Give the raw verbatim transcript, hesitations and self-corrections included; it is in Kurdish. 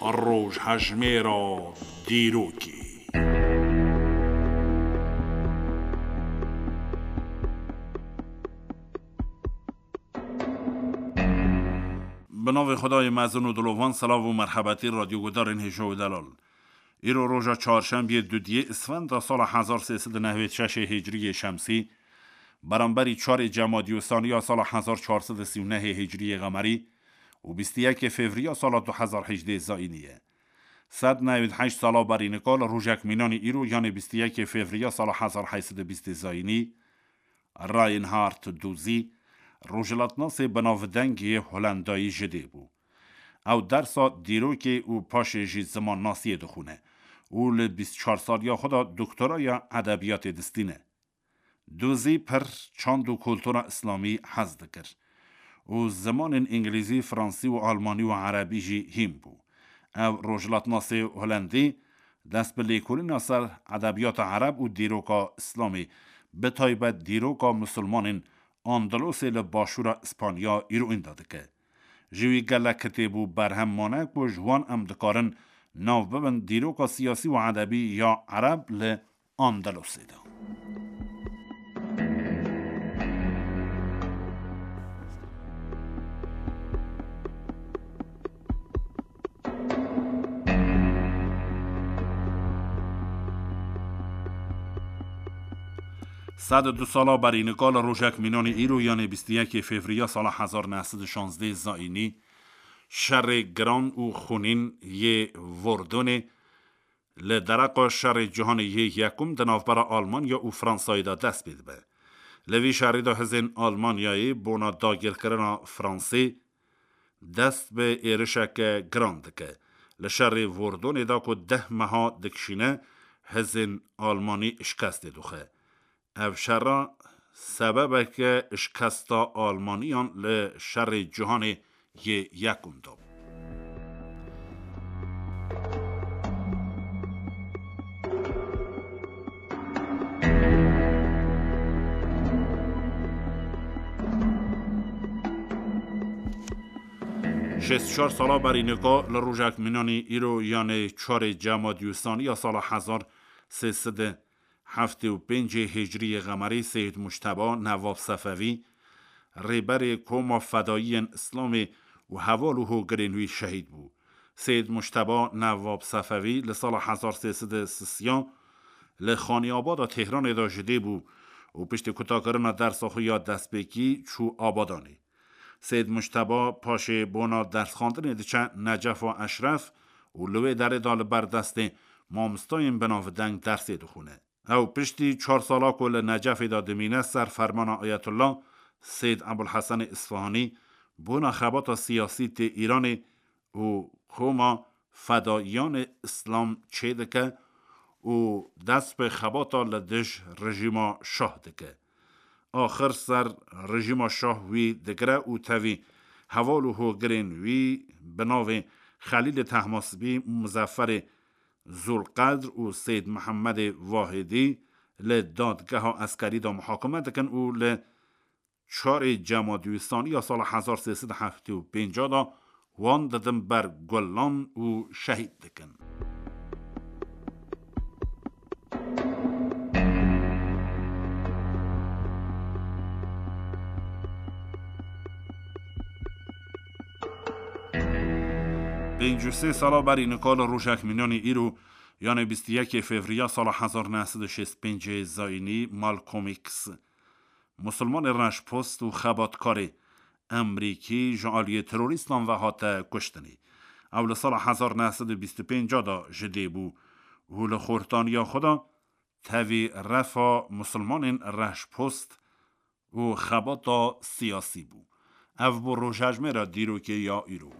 Rojhejmêra dîrokê. Bi navê Xwedayê mezin û dilovan, silav û merhebetî radyogudarên hêja û delal. Îro roja çarşembiyê dudiyê Isfenda sala hezar sê sed û nehwêd şeşê hicriyê şemsî, beramberî çarê Cemadî û Saniya sala hezar çar sed û sî û nehê hicriyê qemerî û bîst û yekê fevriya sala du hezar hejdê zayînî ye. Sed newid heşt sala berî nika li rojek mînanî îro, yanê bîst û yekê fevriya sala hezar heyt sed û bîstê zayînî, Reinhard Duzî, rojhilatnasê binavdeng yê Holendayî ji dê bû. Ew dersa dîrokê û paşê jî zimannasiyê dixwîne û li bîst û çar saliya xwe de doktoraya edebiyatê distîne. Duzî pir çand û kultura îslamî hez dikir û zimanên îngilîzî, fransî û almanî û erebî jî hîn bû. Ev rojhilatnasê holendî dest bi lêkolîna ser edebiyata ereb û dîroka îslamî, bi taybet dîroka misilmanên Andalûsê li başûra Îspanya îroîn de dike. Ji wî gelek kitêb û berhem mane ku ji wan em dikarin nav bibin dîroka siyasî û edebî ya ereb li Andalûsê de. Sed û du sala berî nika li rojek mînanî îro, yanê bîst û yekê fevriya sala hezar neh sed û şazdeh zayînî, şerê giran û xûnîn yê Vordonê li dereqa şerê cîhanê yê yekum di navbera Almanya û Fransayê de dest pê dibe. Li vî şerî de hizên Almanyayê bona dagirkirina Fransê dest bi êrişeke giran dike. Li şerê Vordonê de ku deh meha dikişîne, hizên Almanî şikestê dixwe. Ev şera sebebeke şikesta Almaniyan li şerê cîhanê yê yekum de bû. Şêst û çar sala berî nika li rojek mînanî îro, yanê çarê Cemadî û Saniya sala hezar sê sed û heftê û pêncê hicriyê qemerî, Seyîd Mujteba Newab Sefevî, rêberê Koma Fedayiyên Îslamê û heval û hogirên wî şehîd bû. Seyîd Mujteba Newab Sefevî li sala hezar sê sed û sisiya li Xanîabada Tehranê de ji dê bû û piştî kutakirina dersa xwe ya destpêkî çû Abadanê. Seyîd Mujteba paşê bona dersxwendinê diçe Necefa Eşref û li wê derê de li ber destê mamostayên binavdeng dersê dixwîne. Ew piştî çar sala ku li Necefê de dimîne, ser fermana Ayetullah Seyîd Ebulhesenê Îsfahanî bona xebata siyasî tê Îranê û Koma Fedaiyanê Îslam çêdike û dest bi xebata li dij rejîma Şah dike. Axir ser rejîma Şah wî digire û tevî heval û hogirên wî bi navê Xelîlê Tehmasbî, Muzefferê Zulqedr û Seyîd Mihemedê Wahidî li dadgeha eskerî de muhakeme dikin û li çarê Cemadî Saniya sala hezar sê sed û heftê û pênc de wan didin ber gulan û şehîd dikin. Pêncî û sê sala berî nika li rojek mînanî îro, yanê bîst û yekê fevriya sala hezar neh sed û şêst û pêncê zayînî, Malcolm X, musulmanê reşpost û xebatkarê Emrîkî ji aliyê terorîstan ve hate kuştinê. Ew li sala hezar neh sed û bîst û pênc de ji dê bû û li xortaniya xwe de tevî refa musulmanên reşpost û xebata siyasî bû. Ev bû rojhejmêra dîrokê ya îro.